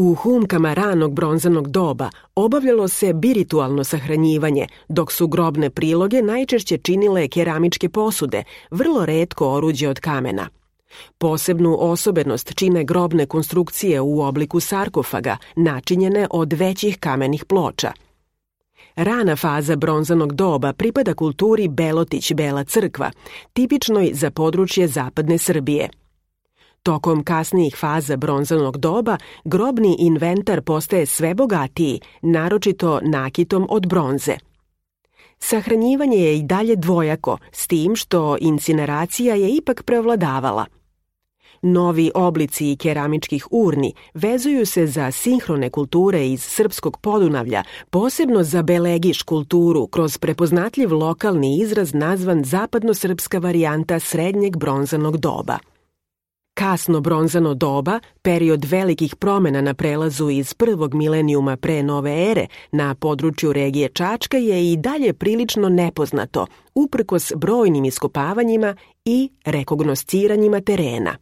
U humkama ranog bronzanog doba obavljalo se biritualno sahranjivanje, dok su grobne priloge najčešće činile keramičke posude, vrlo retko oruđe od kamena. Posebnu osobenost čine grobne konstrukcije u obliku sarkofaga, načinjene od većih kamenih ploča. Rana faza bronzanog doba pripada kulturi Belotić-Bela crkva, tipičnoj za područje zapadne Srbije. Tokom kasnijih faza bronzanog doba grobni inventar postaje sve bogatiji, naročito nakitom od bronze. Sahranjivanje je i dalje dvojako, s tim što incineracija je ipak prevladavala. Novi oblici keramičkih urni vezuju se za sinhrone kulture iz srpskog Podunavlja, posebno za Belegiš kulturu kroz prepoznatljiv lokalni izraz nazvan zapadno-srpska varijanta srednjeg bronzanog doba. Kasno bronzano doba, period velikih promena na prelazu iz prvog milenijuma pre nove ere na području regije Čačka je i dalje prilično nepoznato, uprkos brojnim iskopavanjima i rekognosciranjima terena.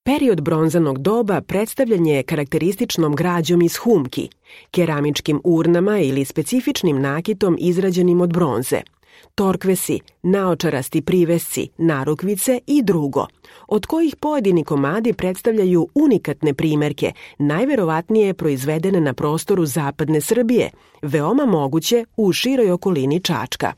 Period bronzanog doba predstavljen je karakterističnom građom iz humki, keramičkim urnama ili specifičnim nakitom izrađenim od bronze, torkvesi, naočarasti privesci, narukvice i drugo, od kojih pojedini komadi predstavljaju unikatne primerke, najverovatnije proizvedene na prostoru zapadne Srbije, veoma moguće u široj okolini Čačka.